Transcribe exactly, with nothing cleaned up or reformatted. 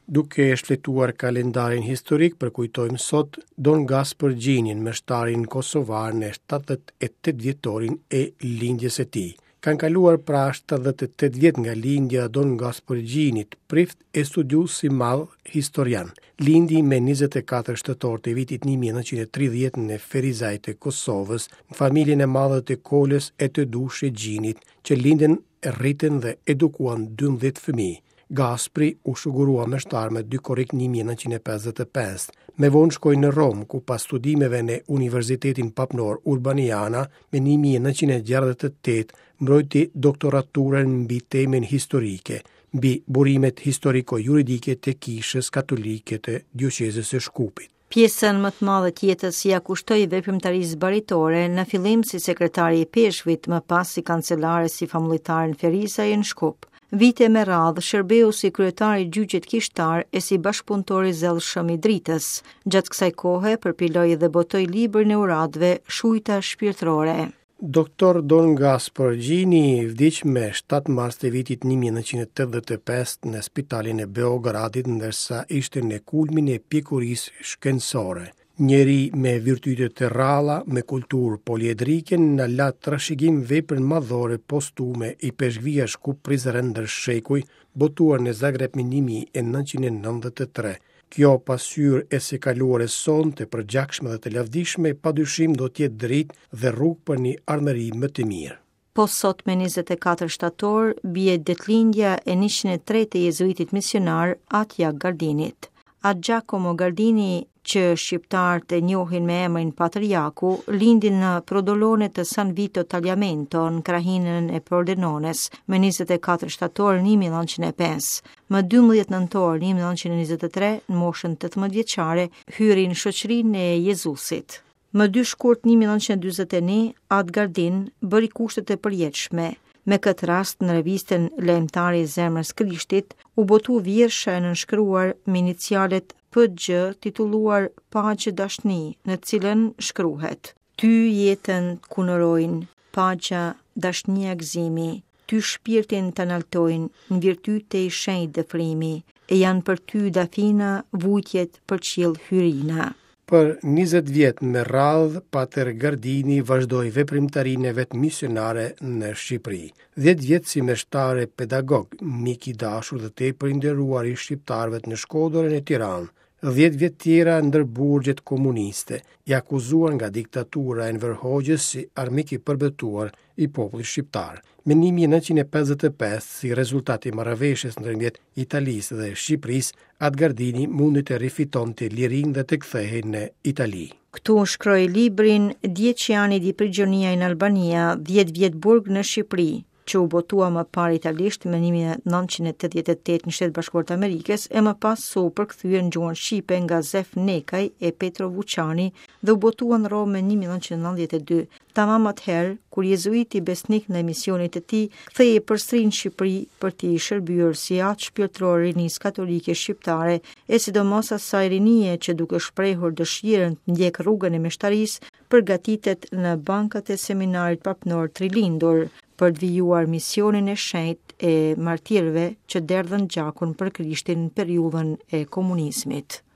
Duke shfletuar kalendarin historik, përkujtojmë sot Don Gaspër Gjinin, meshtarin kosovar, në shtatëdhjetë e tetë vjetorin e lindjes së tij. Kanë kaluar pra shtatëdhjetë e tetë vjet nga lindja Don Gaspër Gjinit, prift e studiues i madh historian. Lindi me njëzet e katër shtator të vitit një mijë e nëntëqind e tridhjetë në Ferizaj të Kosovës, në familjen e madhe të Kolës e të Dushe Gjinit, që lindën, rritën dhe edukuan dymbëdhjetë fëmijë. Gaspri u shugurua meshtar me dy korrik një mijë e nëntëqind e pesëdhjetë e pesë. Me vonë shkoi në Romë, ku pas studimeve në Universitetin Papnor Urbaniana, me një mijë e nëntëqind e gjashtëdhjetë e tetë mbrojti doktoraturën mbi temën historike, mbi burimet historiko-juridike të Kishës Katolike të Dioqezës së Shkupit. Pjesën më të madhe të jetës ia kushtoi veprimtarisë baritore, në fillim si sekretari i ipeshkvit, më pas si kancelar e si famullitar në Ferizaj e në Shkup. Vite me radhë shërbeu si kryetar i gjyqit kishtar e si bashkëpunëtor i zellshëm i Dritës. Gjatë kësaj kohe përpiloi dhe botoi librin e uratëve Shujta shpirtërore. Doktor Don Gaspër Gjini vdiq me shtatë mars të vitit një mijë e nëntëqind e tetëdhjetë e pesë në spitalin e Beogradit, ndërsa ishte në kulmin e pjekurisë shkencore. Njeri me virtyte të rralla, me kulturë poliedrike, na la trashëgim veprën madhore postume Ipeshkvia Shkup Prizren ndër shekuj, botuar në Zagreb më një mijë e nëntëqind e nëntëdhjetë e tre. Kjo pasqyrë e së kaluarës sonë të përgjakshme dhe të lavdishme, padyshim do të jetë dritë dhe rrugë për një ardhmëri më të mirë. Po sot me njëzet e katër shtator bie ditëlindja e njëqind e tre të jezuitit misionar At Jak Gardinit. At Giacomo Gardini, që shqiptarët e njohin me emrin Patër Jaku, lindi në Prodolone të San Vito Tagliamento në krahinën e Pordenones me njëzet e katër shtator një mijë e nëntëqind e pesë. Më dymbëdhjetë nëntor një mijë e nëntëqind e njëzet e tre, në moshën tetëmbëdhjetë vjeçare, hyri në shoqërinë e Jezusit. Më dy shkurt një mijë e nëntëqind e dyzet e një, At Gardin bëri kushtet e përjetshme. Me këtë rast, në revistën Lajmëtari i Zemrës Krishtit u botu vjersha e nënshkruar me inicialet P G, titulluar Paqe Dashni, në cilën shkruhet: Ty jetën t'kunorojnë, paqja, dashnia, gëzimi, ty shpirtin të naltojnë, në virtyte i shenjt dëfrimi, e janë për ty dafina, vujtjet për qiell hyrina. Për njëzet vjet me radhë, Pater Gardini vazhdoi veprimtarinë e vet misionare në Shqipëri. dhjetë vjet si meshtar e pedagog, mik i dashur dhe tepër i nderuar i shqiptarëve në Shkodër e në Tiranë. dhjetë vjet tjera ndër burgjet komuniste, i akuzuar nga diktatura e Enver Hoxhës si armik i përbetuar i popullit shqiptar. Me një mijë e nëntëqind e pesëdhjetë e pesë, si rezultat i marrëveshjes ndërmjet Italisë dhe Shqipërisë, At Gardini mundi të rifitonte lirinë dhe të kthehej në Itali. Këtu shkroi librin Dieci anni di prigionia in Albania, dhjetë vjet burg në Shqipëri, që u botua më parë italisht më një mijë e nëntëqind e tetëdhjetë e tetë në Shtetet Bashkuara të Amerikës e më pas u përkthye në gjuhën shqipe nga Zef Nekaj e Petro Vuçani dhe u botua në Romë më një mijë e nëntëqind e nëntëdhjetë e dy. Tamam atëherë, kur jezuiti besnik në misionit të tij, kthehej përsëri në Shqipëri për t'i shërbyer si atë shpirtëror rinisë katolike shqiptare, e sidomos asaj rinie që, duke shprehur dëshirën të ndjek rrugën e meshtarisë, përgatitet në bankat e seminarit papnor Trilindur për të vijuar misionin e shenjtë e martirëve që derdhën gjakun për Krishtin në periudhën e komunizmit.